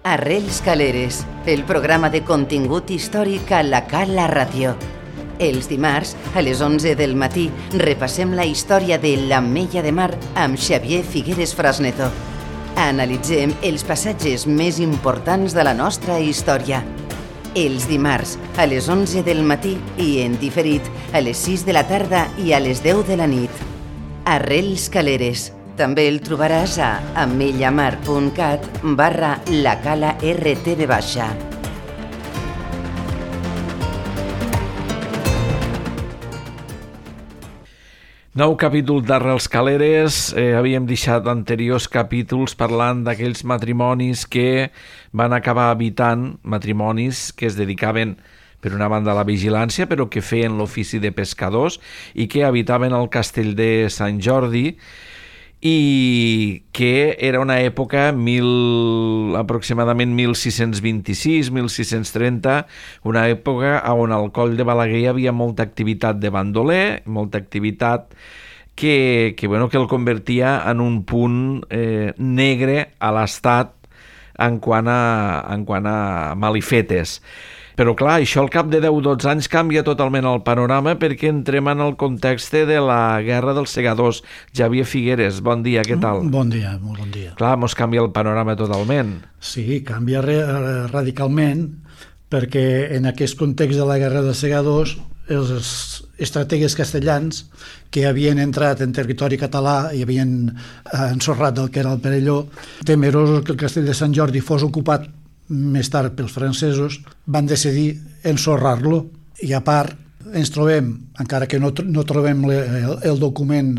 Arrels Caleres, el programa de contingut històric a la Cala Ràdio. Els dimarts, a les 11 del matí, repassem la història de l'Ametlla de Mar amb Xavier Figueres Frasneto. Analitzem els passatges més importants de la nostra història. Els dimarts, a les 11 del matí i en diferit, a les 6 de la tarda i a les 10 de la nit. Arrels Caleres. També el trobaràs a ametllamar.cat/lacala-rtv baixa. Nou capítol d'Arrels Caleres. Havíem deixat anteriors capítols parlant d'aquells matrimonis que van acabar habitant, matrimonis que es dedicaven per una banda a la vigilància, però que feien l'ofici de pescadors i que habitaven al castell de Sant Jordi, i que era una època aproximadament 1626-1630, una època on al Coll de Balaguer hi havia molta activitat de bandoler, molta activitat que el convertia en un punt negre a l'estat en quant a malifetes. Però clar, això al cap de 10-12 anys canvia totalment el panorama perquè entrem en el context de la Guerra dels Segadors. Xavier Figueres, bon dia, què tal? Bon dia, molt bon dia. Clar, mos canvia el panorama totalment. Sí, canvia radicalment perquè en aquest context de la Guerra dels Segadors els estrategues castellans que havien entrat en territori català i havien ensorrat el que era el Perelló, temerosos que el castell de Sant Jordi fos ocupat més tard pels francesos, van decidir ensorrar-lo. I a part ens trobem, encara que no trobem el document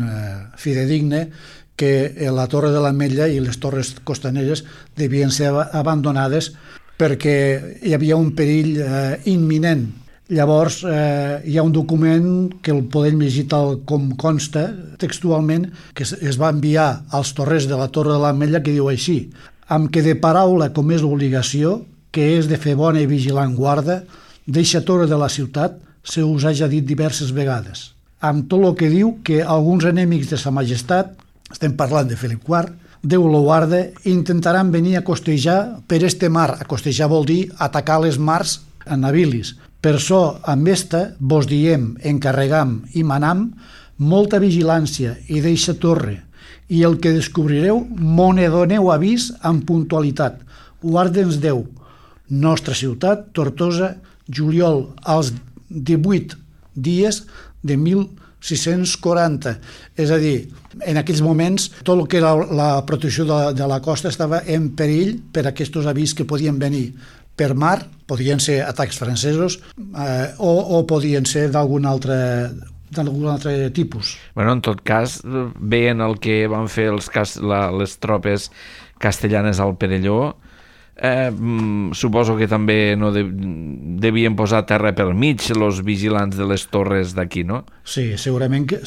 fidedigne, que la Torre de l'Ametlla i les torres costaneres devien ser abandonades perquè hi havia un perill imminent. Llavors hi ha un document que el podem llegir tal com consta textualment, que es va enviar als torrers de la Torre de l'Ametlla, que diu així: amb que de paraula com és l'obligació, que és de fer bona i vigilant guarda, d'eixa torre de la ciutat se us haja dit diverses vegades. Amb tot el que diu que alguns enemics de sa majestat, estem parlant de Felip IV, Déu lo guarda, intentaran venir a costejar per este mar. A costejar vol dir atacar les mars a navils. Per això, amb esta, vos diem, encarregam i manam molta vigilància i d'eixa torre, i el que descobrireu m'ho ne doneu avís amb puntualitat. Guarda'ns Déu. Nostra ciutat, Tortosa, juliol, als 18 dies de 1640. És a dir, en aquells moments tot el que era la protecció de la costa estava en perill per aquests avís que podien venir per mar, podien ser atacs francesos o podien ser d'algun altre tipus. En tot cas, veient el que van fer les tropes castellanes al Perelló, suposo que també no devien posar terra per mig els vigilants de les torres d'aquí, no? Sí, segurament que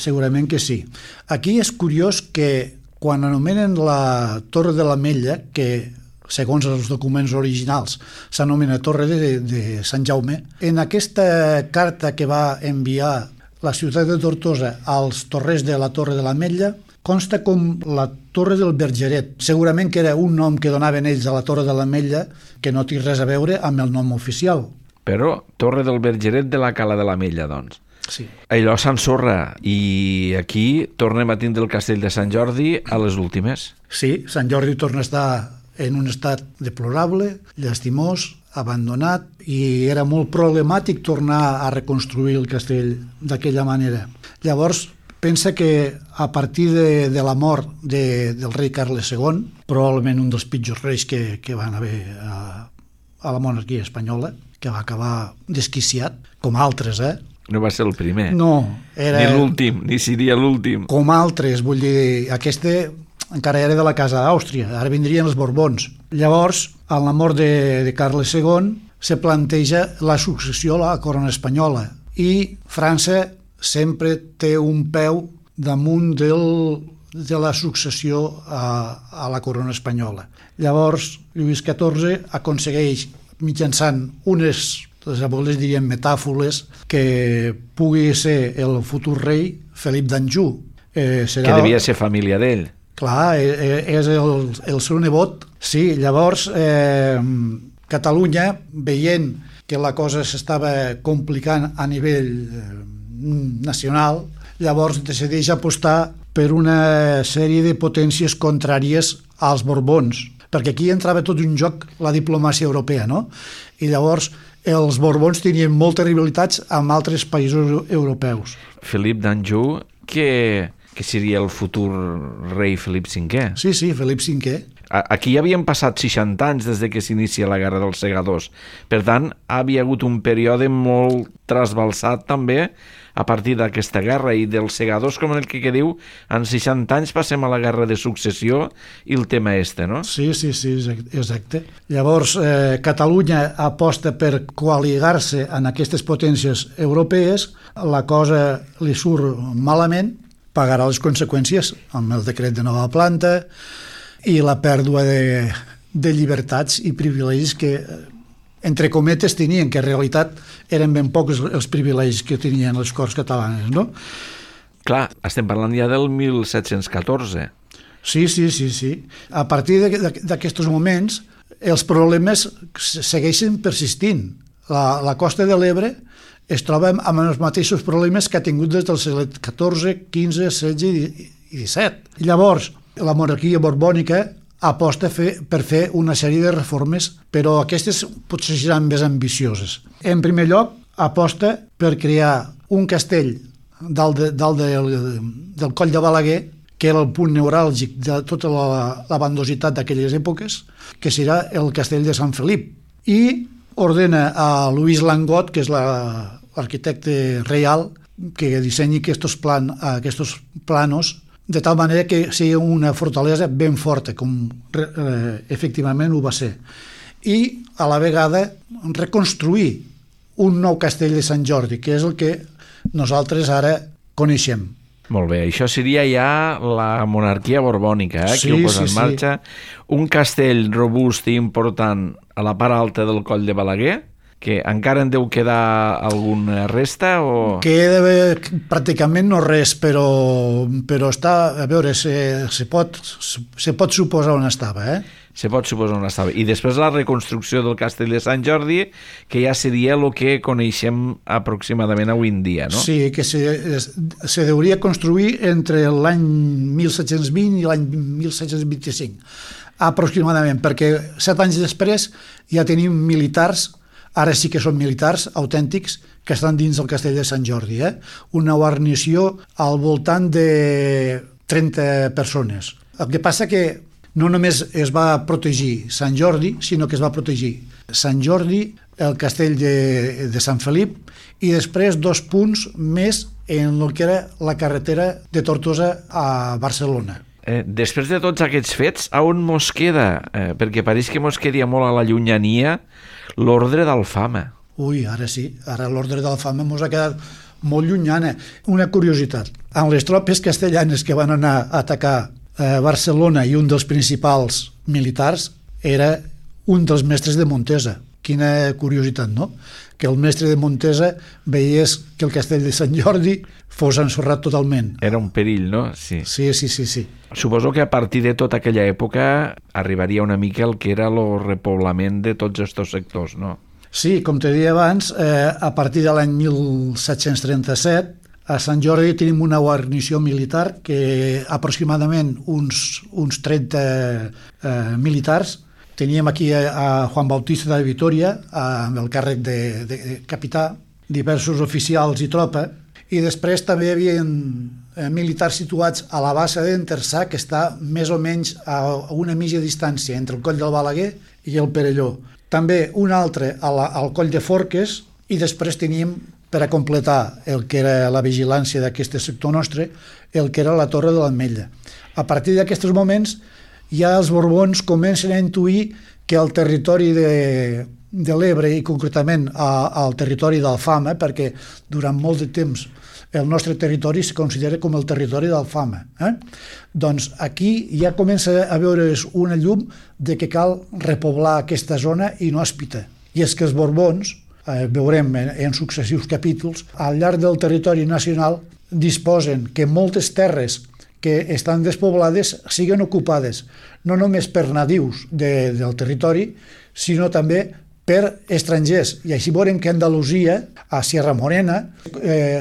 sí. Aquí és curiós que quan anomenen la Torre de l'Ametlla, que segons els documents originals s'anomena Torre de Sant Jaume, en aquesta carta que va enviar la ciutat de Tortosa als torrers de la Torre de l'Ametlla consta com la Torre del Bergeret. Segurament que era un nom que donaven ells a la Torre de l'Ametlla que no té res a veure amb el nom oficial. Però Torre del Bergeret de la Cala de l'Ametlla, doncs. Sí. Allò s'ensorra i aquí tornem a tindre el castell de Sant Jordi a les últimes. Sí, Sant Jordi torna a estar en un estat deplorable, llastimós, abandonat, i era molt problemàtic tornar a reconstruir el castell d'aquella manera. Llavors, pensa que a partir de la mort del rei Carles II, probablement un dels pitjors reis que van haver a la monarquia espanyola, que va acabar desquiciat, com altres, No va ser el primer. No. Ni l'últim, ni seria l'últim. Com altres, vull dir, aquesta encara era de la casa d'Àustria, ara vindrien els Borbons. Llavors, a la mort de Carles II, se planteja la successió a la corona espanyola i França sempre té un peu damunt de la successió a la corona espanyola. Llavors, Lluís XIV aconsegueix, mitjançant les abueles dirien metàfoles, que pugui ser el futur rei Felip d'Anjou. Que devia ser família d'ell. Clar, és el seu nebot Sí, llavors Catalunya, veient que la cosa s'estava complicant a nivell nacional, llavors decideix apostar per una sèrie de potències contràries als Borbons, perquè aquí entrava tot un joc la diplomàcia europea, no? I llavors els Borbons tenien moltes rivalitats amb altres països europeus. Felip d'Anjou, que seria el futur rei Felip V. Sí, Felip V. Aquí ja havien passat 60 anys des de que s'inicia la Guerra dels Segadors. Per tant, havia hagut un període molt trasbalsat també a partir d'aquesta guerra i dels Segadors, com el que diu, en 60 anys passem a la Guerra de Successió i el tema no? Sí, exacte. Llavors, Catalunya aposta per coaligar-se en aquestes potències europees, la cosa li surt malament, pagarà les conseqüències amb el decret de nova planta i la pèrdua de llibertats i privilegis que, entre cometes, tenien, que en realitat eren ben pocs els privilegis que tenien les Corts catalanes, no? Clar, estem parlant ja del 1714. Sí. A partir d'aquests moments, els problemes segueixen persistint. La costa de l'Ebre es troba amb els mateixos problemes que ha tingut des del segle XIV, XV, XVI i XVII. Llavors, la monarquia borbònica aposta per fer una sèrie de reformes, però aquestes potser seran més ambicioses. En primer lloc, aposta per crear un castell dalt del Coll de Balaguer, que era el punt neuràlgic de tota la bandositat d'aquelles èpoques, que serà el castell de Sant Felip. I ordena a Lluís Langot, que és l'arquitecte reial, que dissenyi aquests planos de tal manera que sigui una fortalesa ben forta, com efectivament ho va ser. I, a la vegada, reconstruir un nou castell de Sant Jordi, que és el que nosaltres ara coneixem. Molt bé, això seria ja la monarquia borbònica, que ho posa en marxa. Un castell robust i important a la part alta del Coll de Balaguer, que encara en deu quedar alguna resta? O... Queda pràcticament no res, però està, a veure, se pot suposar on estava, Se pot suposar on estava. I després la reconstrucció del castell de Sant Jordi, que ja seria el que coneixem aproximadament avui en dia, no? Sí, que se deuria construir entre l'any 1720 i l'any 1725, aproximadament, perquè 7 anys després ja tenim militars. Ara sí que són militars autèntics que estan dins del castell de Sant Jordi. Una guarnició al voltant de 30 persones. El que passa que no només es va protegir Sant Jordi, sinó que es va protegir Sant Jordi, el castell de Sant Felip i després 2 punts més en el que era la carretera de Tortosa a Barcelona. Després de tots aquests fets, on mos queda? Perquè pareix que mos quedia molt a la llunyania l'ordre d'Alfama. Ui, ara sí, ara l'ordre d'Alfama mos ha quedat molt llunyana. Una curiositat, amb les tropes castellanes que van anar a atacar Barcelona i un dels principals militars era un dels mestres de Montesa. Quina curiositat, no? Que el mestre de Montesa veiés que el castell de Sant Jordi fos ensorrat totalment. Era un perill, no? Sí. Sí. Suposo que a partir de tota aquella època arribaria una mica el que era el repoblament de tots aquests sectors, no? Sí, com te deia abans, a partir de l'any 1737 a Sant Jordi tenim una guarnició militar que aproximadament uns 30 militars. Teníem aquí a Juan Bautista de Vitoria, amb el càrrec de capità, diversos oficials i tropa, i després també hi havia militars situats a la bassa d'Entersà, que està més o menys a una mitja distància entre el Coll del Balaguer i el Perelló. També un altre al Coll de Forques, i després teníem, per a completar el que era la vigilància d'aquest sector nostre, el que era la Torre de l'Ametlla. A partir d'aquests moments, ja els Borbons comencen a intuir que el territori de l'Ebre, i concretament al territori d'Alfama, perquè durant molt de temps el nostre territori se considera com el territori d'Alfama, doncs aquí ja comença a veure's una llum de que cal repoblar aquesta zona i no Hospita. I és que els Borbons, veurem en successius capítols, al llarg del territori nacional disposen que moltes terres que estan despoblades siguin ocupades no només per nadius del territori, sinó també per estrangers. I així veurem que Andalusia, a Sierra Morena,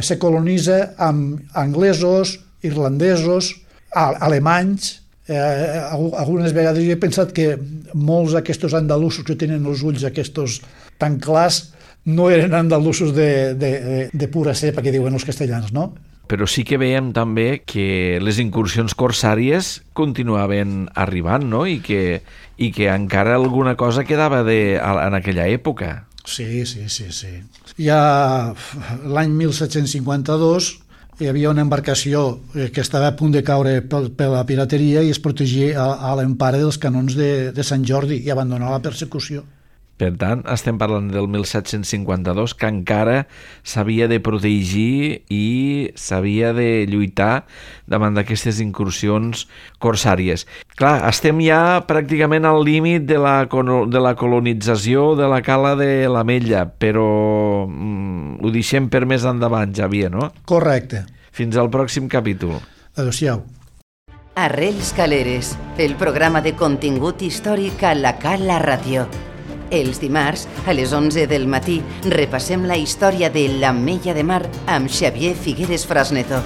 se colonitza amb anglesos, irlandesos, alemanys. Algunes vegades jo he pensat que molts d'aquests andalusos que tenen els ulls aquests tan clars no eren andalusos de pura cepa, que diuen els castellans, no? Però sí que veiem també que les incursions corsàries continuaven arribant, no? I que encara alguna cosa quedava en aquella època. Sí. Ja l'any 1752 hi havia una embarcació que estava a punt de caure per la pirateria i es protegia a l'empara dels canons de Sant Jordi i abandonar la persecució. Per tant, estem parlant del 1752, que encara s'havia de protegir i s'havia de lluitar davant d'aquestes incursions corsàries. Clar, estem ja pràcticament al límit de la colonització de la cala de l'Ametlla, però ho deixem per més endavant, Xavier, no? Correcte. Fins al pròxim capítol. Adéu-siau. Arrels Caleres, el programa de contingut històric a la Cala Ràdio. Els dimarts, a les 11 del matí, repassem la història de l'Ametlla de Mar amb Xavier Figueres Frasneto.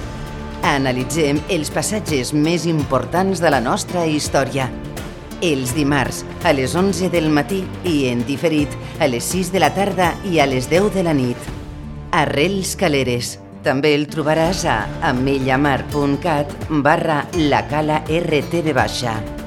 Analitzem els passatges més importants de la nostra història. Els dimarts, a les 11 del matí i en diferit a les 6 de la tarda i a les 10 de la nit. Arrels Caleres. També el trobaràs a ametllamar.cat/lacala RTV-.